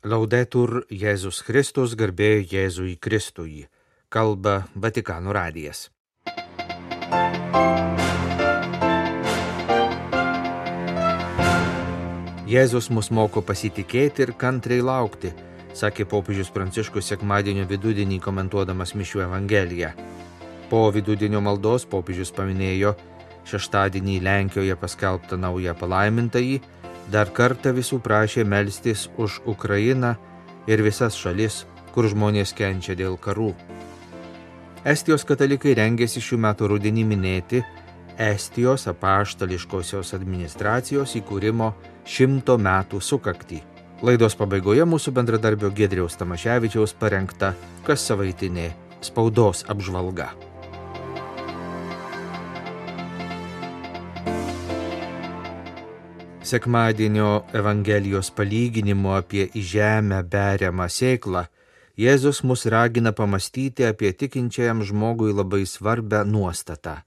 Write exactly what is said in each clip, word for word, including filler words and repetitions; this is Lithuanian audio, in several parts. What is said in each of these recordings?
Laudetur Jėzus Kristus, garbė Jėzui Kristui, kalba Vatikano radijas. Jėzus mus moko pasitikėti ir kantriai laukti, sakė popiežius Pranciškus sekmadienio vidudienį komentuodamas mišių evangeliją. Po vidudienio maldos popiežius paminėjo šeštadienį Lenkijoje paskelbtą naują palaimintąjį, dar kartą visų prašė melstis už Ukrainą ir visas šalis, kur žmonės kenčia dėl karų. Estijos katalikai rengėsi šių metų rudenį minėti Estijos apaštališkosios administracijos įkūrimo šimto metų sukaktį. Laidos pabaigoje mūsų bendradarbio Giedriaus Tamaševičiaus parengta kassavaitinė spaudos apžvalga. Sekmadienio Evangelijos palyginimo apie į žemę beriamą sėklą Jėzus mus ragina pamastyti apie tikinčiajam žmogui labai svarbią nuostatą –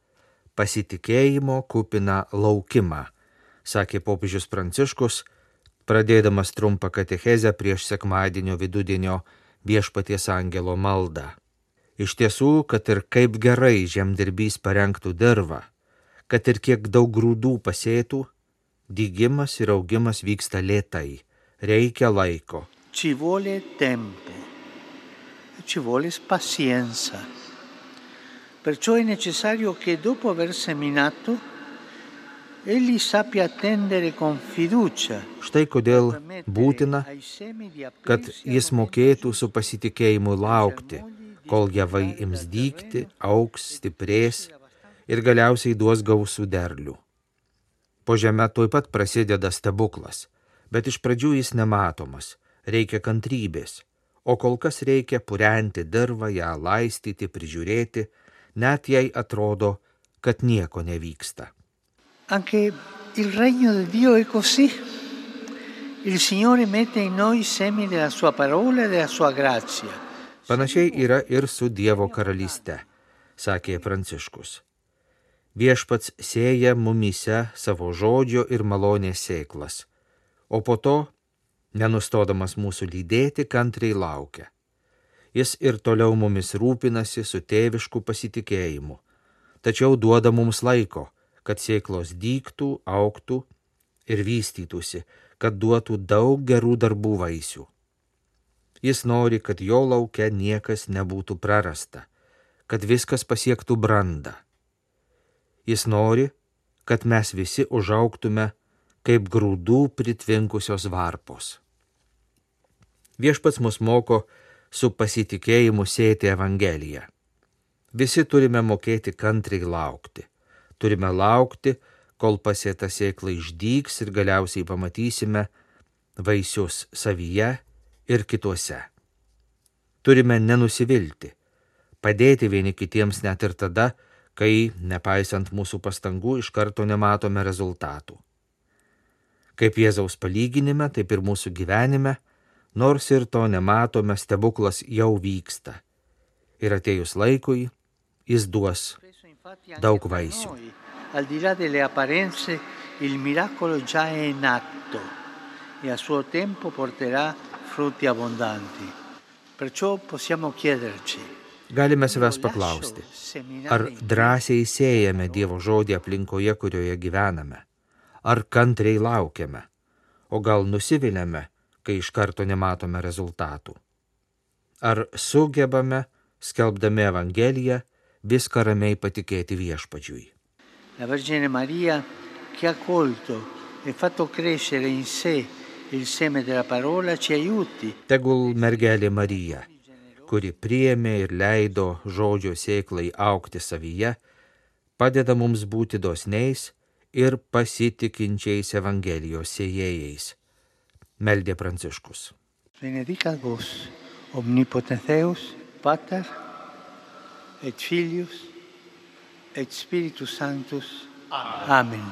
pasitikėjimo kupiną laukimą, sakė popiežius Pranciškus, pradėdamas trumpą katechezę prieš sekmadienio vidudienio Viešpaties angelo maldą. Iš tiesų, kad ir kaip gerai žemdirbys parengtų dirvą, kad ir kiek daug grūdų pasėtų, dygimas ir augimas vyksta lėtai, reikia laiko. Ci vuole tempo, ci vuole pazienza. Perciò è necessario che dopo aver seminato, egli sappia attendere con fiducia. Štai kodėl būtina, kad jis mokėtų su pasitikėjimu laukti, kol javai ims dygti, augs, stiprės ir galiausiai duos gausų derlių. Po žeme tuoj pat prasideda stebuklas, bet iš pradžių jis nematomas, reikia kantrybės, o kol kas reikia purenti dirvą, ją laistyti, prižiūrėti, net jei atrodo, kad nieko nevyksta. Anche il regno di Dio è così. Il Signore mette in noi semi della sua parola e della sua grazia. Panašiai yra ir su Dievo karalyste, sakė Pranciškus. Viešpats sėja mumyse savo žodžio ir malonės sėklas, o po to, nenustodamas mūsų lydėti, kantriai laukia. Jis ir toliau mumis rūpinasi su tėvišku pasitikėjimu, tačiau duoda mums laiko, kad sėklos dygtų, augtų ir vystytųsi, kad duotų daug gerų darbų vaisių. Jis nori, kad jo lauke niekas nebūtų prarasta, kad viskas pasiektų brandą. Jis nori, kad mes visi užaugtume kaip grūdų pritvinkusios varpos. Viešpats mus moko su pasitikėjimu sėti Evangeliją. Visi turime mokėti kantriai laukti. Turime laukti, kol pasėta sėkla išdygs ir galiausiai pamatysime vaisius savyje ir kituose. Turime nenusivilti, padėti vieni kitiems net ir tada, kai, nepaisant mūsų pastangų, iš karto nematome rezultatų. Kaip Jėzaus palyginime, taip ir mūsų gyvenime, nors ir to nematome, stebuklas jau vyksta. Ir atėjus laikui, jis duos daug vaisių. Al di là delle apparenze, il miracolo già è in atto e a suo tempo porterà frutti abbondanti. Perciò possiamo chiederci: galime savęs paklausti, ar drąsiai sėjame Dievo žodį aplinkoje, kurioje gyvename, ar kantriai laukiame, o gal nusiviliame, kai iš karto nematome rezultatų. Ar sugebame, skelbdami Evangeliją, viską ramiai patikėti Viešpačiui. La Vergine Maria, che ha colto e fatto crescere in sé il seme della parola, ci aiuti. Tegul mergelė Marija, kuri priėmė ir leido žodžio sėklai augti savyje, padeda mums būti dosniais ir pasitikinčiais Evangelijos sėjėjais, meldė Pranciškus. Benedicat vos, omnipotens Deus, Pater, et Filius, et Spiritus Sanctus. Amen.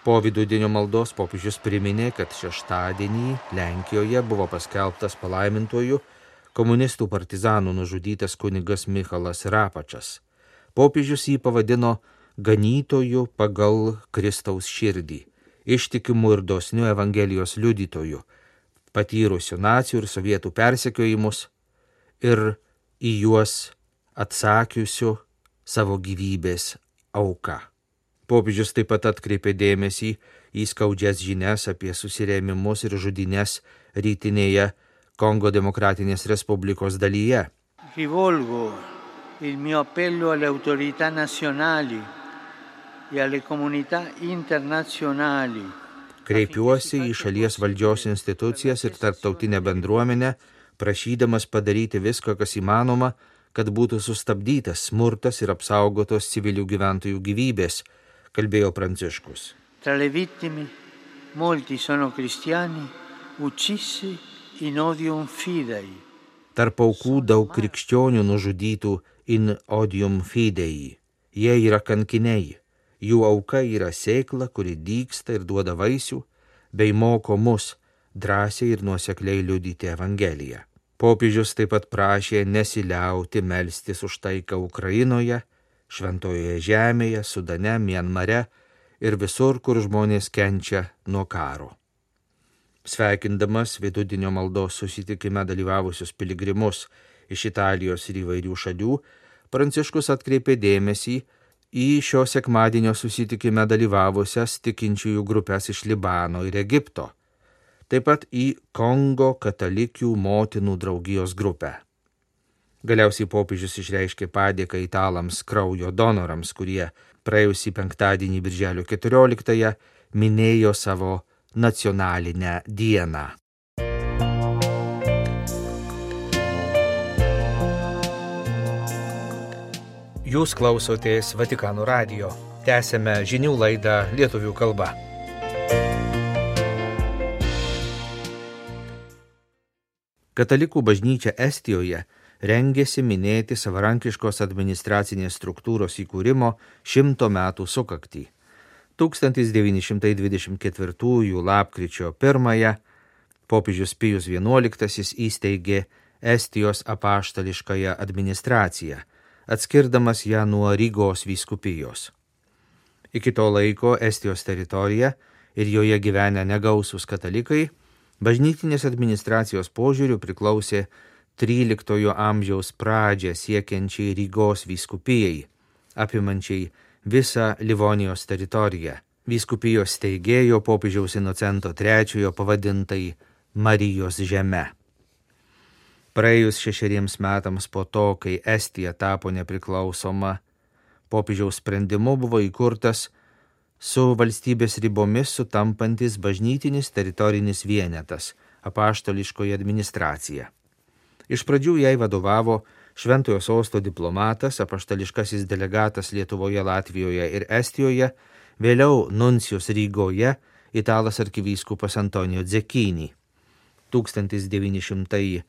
Po vidudienio maldos popiežius priminė, kad šeštadienį Lenkijoje buvo paskelbtas palaimintuoju komunistų partizanų nužudytas kunigas Michalas Rapačas. Popiežius jį pavadino ganytoju pagal Kristaus širdį, ištikimu ir dosniu Evangelijos liudytoju, patyrusių nacių ir sovietų persekiojimus ir į juos atsakiusių savo gyvybės auką. Popiežius taip pat atkreipė dėmesį į skaudžias žinias apie susirėmimus ir žudynes rytinėje Kongo Demokratinės Respublikos dalyje. Rivolgo il mio appello alle autorità nazionali e alle comunità internazionali. Kreipiuosi į šalies valdžios institucijas ir tarptautinę bendruomenę, prašydamas padaryti viską, kas įmanoma, kad būtų sustabdytas smurtas ir apsaugotos civilių gyventojų gyvybės, kalbėjo Pranciškus. Tra le vittime molti sono cristiani uccisi in odium fidei. Tarp aukų daug krikščionių nužudytų in odium fidei. Jie yra kankiniai. Jų auka yra sėkla, kuri dygsta ir duoda vaisių, bei moko mus drąsiai ir nuosekliai liudyti Evangeliją. Popiežius taip pat prašė nesiliauti melstis už taiką Ukrainoje, Šventojoje žemėje, Sudane, Mianmare ir visur, kur žmonės kenčia nuo karo. Sveikindamas vidudienio maldos susitikime dalyvavusius piligrimus iš Italijos ir įvairių šalių, Pranciškus atkreipė dėmesį į šio sekmadienio susitikime dalyvavusias tikinčiųjų grupės iš Libano ir Egipto, taip pat į Kongo katalikių motinų draugijos grupę. Galiausiai popiežius išreiškė padėką italams kraujo donorams, kurie praėjusį penktadienį birželio keturioliktąją minėjo savo nacionalinę dieną. Jūs klausotės Vatikano radijo. Tęsėme žinių laidą lietuvių kalba. Katalikų bažnyčia Estijoje rengėsi minėti savarankiškos administracinės struktūros įkūrimo šimto metų sukaktį. tūkstantis devyni šimtai dvidešimt ketvirtųjų lapkričio pirmąją popiežius Pijus vienuoliktasis įsteigė Estijos apaštališkąją administraciją, atskirdamas ją nuo Rygos vyskupijos. Iki to laiko Estijos teritorija ir joje gyvenę negausūs katalikai bažnytinės administracijos požiūriu priklausė tryliktojo amžiaus pradžią siekiančiai Rygos vyskupijai, apimančiai visą Livonijos teritoriją. Vyskupijos steigėjo popiežiaus Inocento trečiojo pavadintai Marijos žeme. Praėjus šešeriems metams po to, kai Estija tapo nepriklausoma, popiežiaus sprendimu buvo įkurtas su valstybės ribomis sutampantis bažnytinis teritorinis vienetas – apaštališkoji administracija. Iš pradžių jai vadovavo Šventojo sosto diplomatas, apaštališkasis delegatas Lietuvoje, Latvijoje ir Estijoje, vėliau nuncijus Rygoje, italas arkivyskupas Antonijo Dzekini. tūkstantis devyni šimtai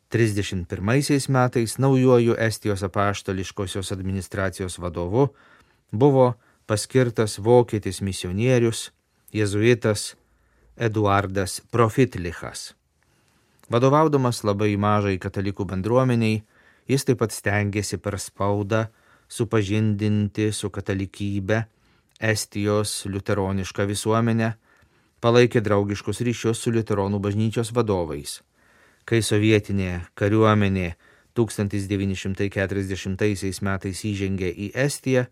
trisdešimt pirmaisiais metais naujuoju Estijos apaštališkosios administracijos vadovu buvo paskirtas vokietis misionierius, jėzuitas Eduardas Profitlichas. Vadovaudamas labai mažai katalikų bendruomeniai, jis taip pat stengėsi per spaudą supažindinti su katalikybė Estijos liuteronišką visuomenę, palaikė draugiškus ryšius su liuteronų bažnyčios vadovais. Kai sovietinė kariuomenė tūkstantis devyni šimtai keturiasdešimtaisiais metais įžengė į Estiją,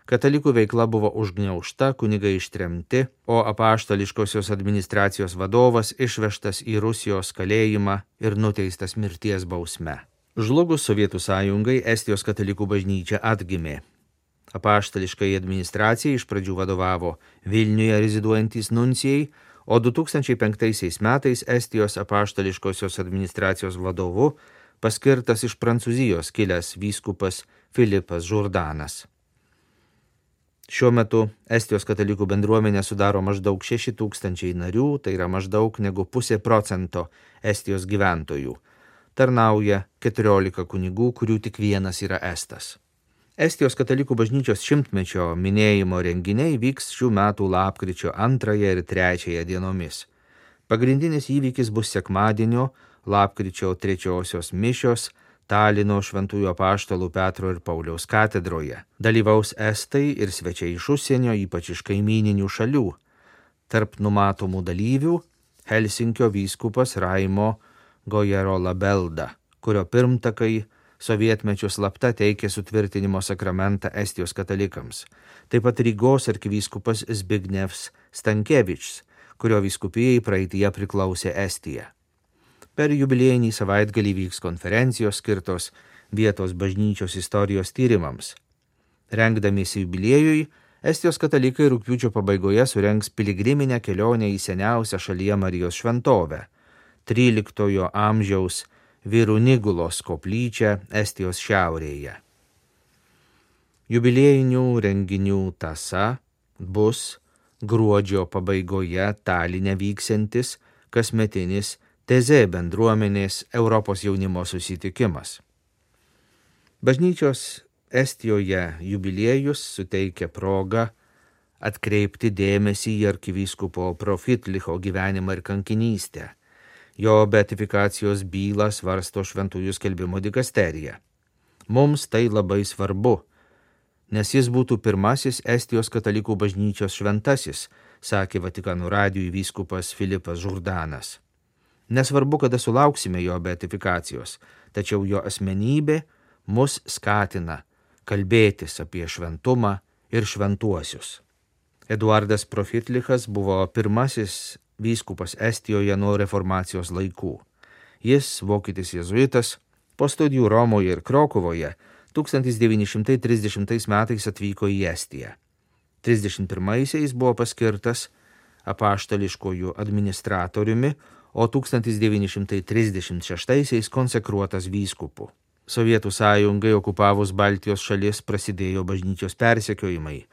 katalikų veikla buvo užgniaužta, kunigai ištremti, o apaštališkosios administracijos vadovas išvežtas į Rusijos kalėjimą ir nuteistas mirties bausme. Žlugus Sovietų sąjungai, Estijos katalikų bažnyčia atgimė. Apaštališkai administracijai iš pradžių vadovavo Vilniuje reziduojantys nuncijai, o du tūkstančiai penktaisiais metais Estijos apaštališkosios administracijos vadovu paskirtas iš Prancūzijos kilęs vyskupas Filipas Žurdanas. Šiuo metu Estijos katalikų bendruomenė sudaro maždaug šeši tūkstančiai narių, tai yra maždaug negu pusė procento Estijos gyventojų. Tarnauja keturiolika kunigų, kurių tik vienas yra estas. Estijos katalikų bažnyčios šimtmečio minėjimo renginiai vyks šių metų lapkričio antrąją ir trečiąją dienomis. Pagrindinis įvykis bus sekmadienio, lapkričio trečiosios mišios Talino šventųjų apaštalų Petro ir Pauliaus katedroje. Dalyvaus estai ir svečiai iš užsienio, ypač iš kaimyninių šalių. Tarp numatomų dalyvių Helsinkio vyskupas Raimo Gojerolabelda, kurio pirmtakai sovietmečiu slapta teikė sutvirtinimo sakramentą Estijos katalikams. Taip pat Rygos arkivyskupas Zbignevs Stankevičius, kurio vyskupijai praeityje priklausė Estija. Per jubiliejinį savaitgalį vyks konferencijos skirtos vietos bažnyčios istorijos tyrimams. Rengdamiesi jubiliejui, Estijos katalikai rugpjūčio pabaigoje surengs piligriminę kelionę į seniausią šalyje Marijos šventovę, tryliktojo amžiaus Virunigulos koplyčią Estijos šiaurėje. Jubiliejinių renginių tąsa bus gruodžio pabaigoje Taline vyksiantis kasmetinis Tezė bendruomenės Europos jaunimo susitikimas. Bažnyčios Estijoje jubiliejus suteikia progą atkreipti dėmesį į arkivyskupo Profitlicho gyvenimą ir kankinystę. Jo beatifikacijos bylą svarsto Šventųjų skelbimo dikasterija. Mums tai labai svarbu, nes jis būtų pirmasis Estijos katalikų bažnyčios šventasis, sakė Vatikano radijui vyskupas Filipas Žurdanas. Nesvarbu, kada sulauksime jo beatifikacijos, tačiau jo asmenybė mus skatina kalbėtis apie šventumą ir šventuosius. Eduardas Profitlichas buvo pirmasis vyskupas Estijoje nuo reformacijos laikų. Jis, vokietis jėzuitas, po studijų Romoje ir Krokuvoje tūkstantis devyni šimtai trisdešimtais metais atvyko į Estiją. trisdešimt pirmaisiais buvo paskirtas apaštališkojų administratoriumi, o tūkstantis devyni šimtai trisdešimt šeštaisiais konsekruotas vyskupu. Sovietų sąjungai okupavus Baltijos šalis prasidėjo bažnyčios persekiojimai.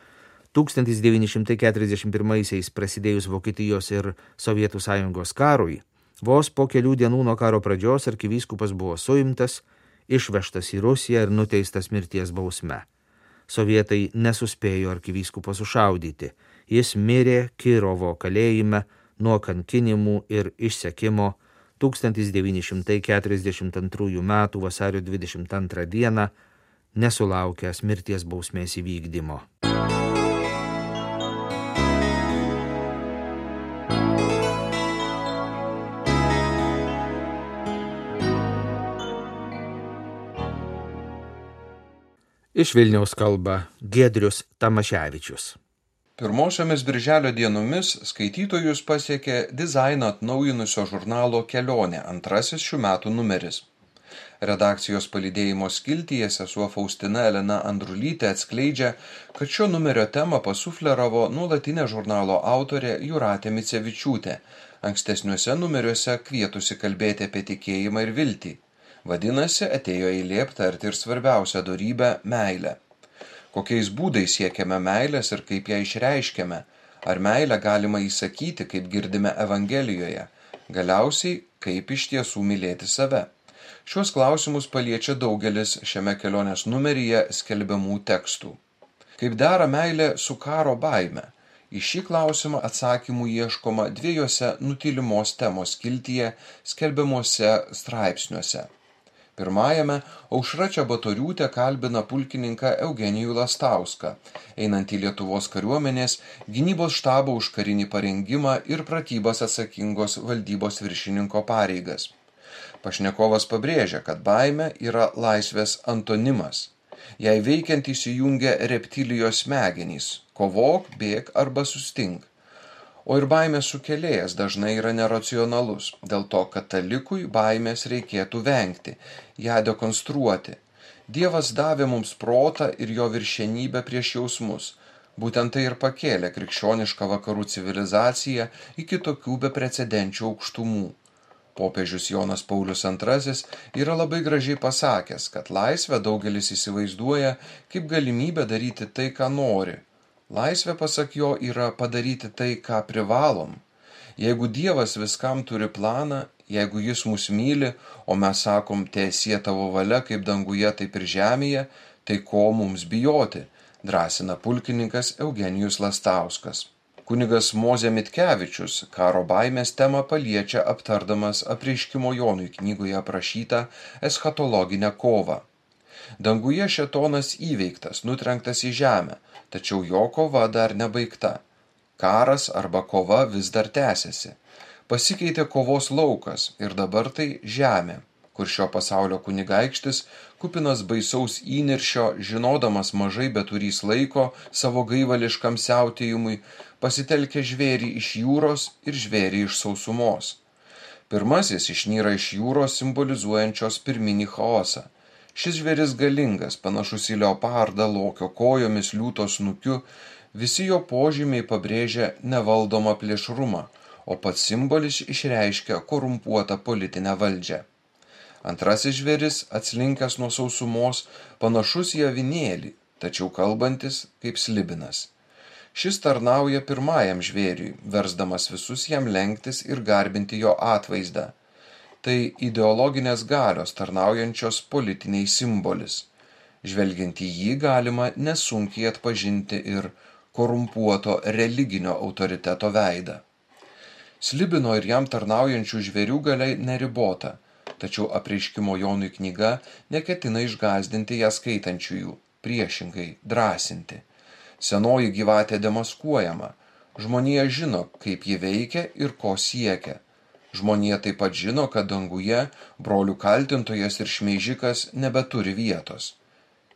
tūkstantis devyni šimtai keturiasdešimt pirmaisiais prasidėjus Vokietijos ir Sovietų sąjungos karui, vos po kelių dienų nuo karo pradžios arkivyskupas buvo suimtas, išvežtas į Rusiją ir nuteistas mirties bausme. Sovietai nesuspėjo arkivyskupo sušaudyti. Jis mirė Kirovo kalėjime nuo kankinimų ir išsekimo tūkstantis devyni šimtai keturiasdešimt antrųjų metų vasario dvidešimt antrą dieną, nesulaukęs mirties bausmės įvykdymo. Iš Vilniaus kalba Giedrius Tamaševičius. Pirmosiomis birželio dienomis skaitytojus pasiekė dizainą atnaujinusio žurnalo Kelionė antrasis šių metų numeris. Redakcijos palydėjimo skiltyje sesuo Faustina Elena Andrulytė atskleidžia, kad šio numerio temą pasufleravo nuolatinė žurnalo autorė Jūratė Micevičiūtė, ankstesniuose numeriuose kvietusi kalbėti apie tikėjimą ir viltį. Vadinasi, atėjo eilė aptarti ir svarbiausią dorybę – meilę. Kokiais būdais siekiame meilės ir kaip ją išreiškiame, ar meilę galima įsakyti, kaip girdime Evangelijoje, galiausiai, kaip iš tiesų mylėti save. Šios klausimus paliečia daugelis šiame kelionės numeryje skelbiamų tekstų. Kaip dera meilė su karo baime? Į šį klausimą atsakymų ieškoma dviejose nutylimos temos skiltyje skelbiamuose straipsniuose. Pirmajame Aušra Čebatoriūtė kalbina pulkininką Eugenijų Lastauską, einantį Lietuvos kariuomenės gynybos štabo už karinį parengimą ir pratybas atsakingos valdybos viršininko pareigas. Pašnekovas pabrėžia, kad baimė yra laisvės antonimas. Jei veikiant įsijungia reptilijos smegenys – kovok, bėk arba sustink. O ir baimės sukėlėjas dažnai yra neracionalus, dėl to katalikui baimės reikėtų vengti, ją dekonstruoti. Dievas davė mums protą ir jo viršenybę prieš jausmus. Būtent tai ir pakėlė krikščionišką vakarų civilizaciją iki tokių beprecedenčių aukštumų. Popiežius Jonas Paulius antrasis yra labai gražiai pasakęs, kad laisvę daugelis įsivaizduoja kaip galimybę daryti tai, ką nori. Laisvė, pasak jo, yra padaryti tai, ką privalom. Jeigu Dievas viskam turi planą, jeigu jis mus myli, o mes sakom, teesie tavo valia kaip danguje, taip ir žemėje, tai ko mums bijoti, drąsina pulkininkas Eugenijus Lastauskas. Kunigas Mozė Mitkevičius karo baimės temą paliečia aptardamas Apreiškimo Jonui knygoje aprašytą eschatologinę kovą. Danguje šėtonas įveiktas, nutrenktas į žemę, tačiau jo kova dar nebaigta. Karas arba kova vis dar tęsiasi. Pasikeitė kovos laukas ir dabar tai žemė, kur šio pasaulio kunigaikštis, kupinas baisaus įniršio, žinodamas mažai beturys laiko savo gaivališkam siautėjimui, pasitelkė žvėrį iš jūros ir žvėrį iš sausumos. Pirmasis išnyra iš jūros simbolizuojančios pirminį chaosą. Šis žvėris galingas, panašus į leopardą, lokio kojomis, liūto snukiu, visi jo požymiai pabrėžia nevaldomą plėšrumą, o pats simbolis išreiškia korumpuotą politinę valdžią. Antrasis žvėris, atslinkęs nuo sausumos, panašus į avinėlį, tačiau kalbantis kaip slibinas. Šis tarnauja pirmajam žvėriui, versdamas visus jam lenktis ir garbinti jo atvaizdą. Tai ideologinės galios tarnaujančios politiniai simbolis. Žvelgiant į jį galima nesunkiai atpažinti ir korumpuoto religinio autoriteto veidą. Slibino ir jam tarnaujančių žvėrių galia neribota, tačiau apreiškimo Jonui knyga neketina išgąsdinti ją skaitančiųjų, priešingai drąsinti. Senoji gyvatė demaskuojama, žmonija žino, kaip ji veikia ir ko siekia. Žmonija taip pat žino, kad danguje brolių kaltintojas ir šmeižikas nebeturi vietos.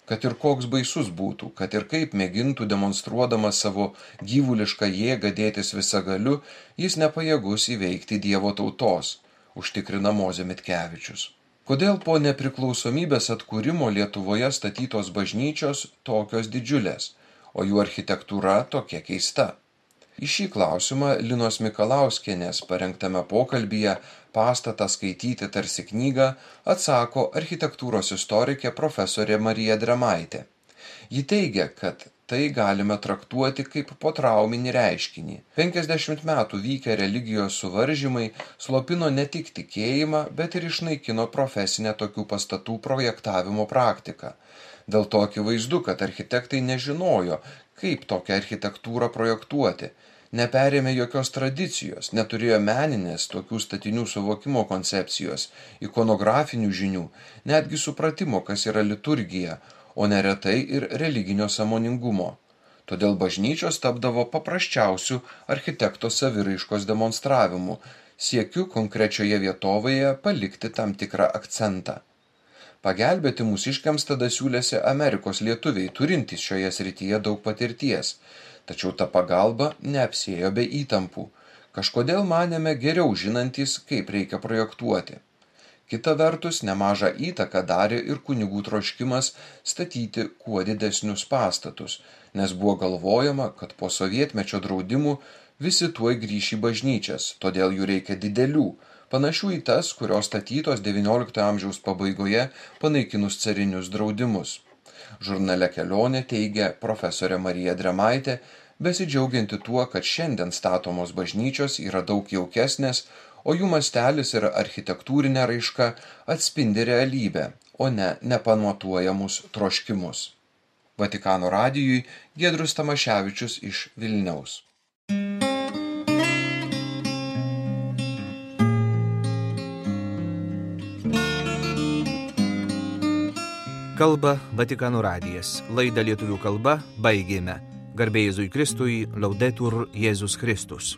Kad ir koks baisus būtų, kad ir kaip mėgintų demonstruodamas savo gyvulišką jėgą dėtis visagaliu, jis nepajėgus įveikti Dievo tautos, užtikrina Mozė Mitkevičius. Kodėl po nepriklausomybės atkūrimo Lietuvoje statytos bažnyčios tokios didžiulės, o jų architektūra tokia keista? Į šį klausimą Linos Mikalauskienės parengtame pokalbyje Pastatą skaityti tarsi knygą atsako architektūros istorikė profesorė Marija Drėmaitė. Ji teigia, kad tai galime traktuoti kaip potrauminį reiškinį. penkiasdešimt metų vykę religijos suvaržymai slopino ne tik tikėjimą, bet ir išnaikino profesinę tokių pastatų projektavimo praktiką. Dėl to akivaizdu, kad architektai nežinojo, kaip tokią architektūrą projektuoti, neperėmė jokios tradicijos, neturėjo meninės tokių statinių suvokimo koncepcijos, ikonografinių žinių, netgi supratimo, kas yra liturgija, o neretai ir religinio sąmoningumo. Todėl bažnyčios tapdavo paprasčiausių architekto saviraiškos demonstravimu, siekiu konkrečioje vietovėje palikti tam tikrą akcentą. Pagelbėti mūsiškiams tada siūlėsi Amerikos lietuviai, turintys šioje srityje daug patirties, tačiau ta pagalba neapsėjo be įtampų. Kažkodėl manėme geriau žinantys, kaip reikia projektuoti. Kita vertus, nemažą įtaką darė ir kunigų troškimas statyti kuo didesnius pastatus, nes buvo galvojama, kad po sovietmečio draudimų visi tuoj grįš į bažnyčias, todėl jų reikia didelių, panašių į tas, kurios statytos devynioliktojo amžiaus pabaigoje panaikinus carinius draudimus. Žurnale Kelionė teigia profesorė Marija Drėmaitė, besidžiaugianti tuo, kad šiandien statomos bažnyčios yra daug jaukesnės, o jų mastelis ir architektūrinė raiška atspindi realybę, o ne nepamatuojamus troškimus. Vatikano radijui Giedrius Tamaševičius iš Vilniaus. Kalba Vatikano radijas. Laidą lietuvių kalba baigėme. Garbė Jėzui Kristui, Laudetur Jėzus Kristus.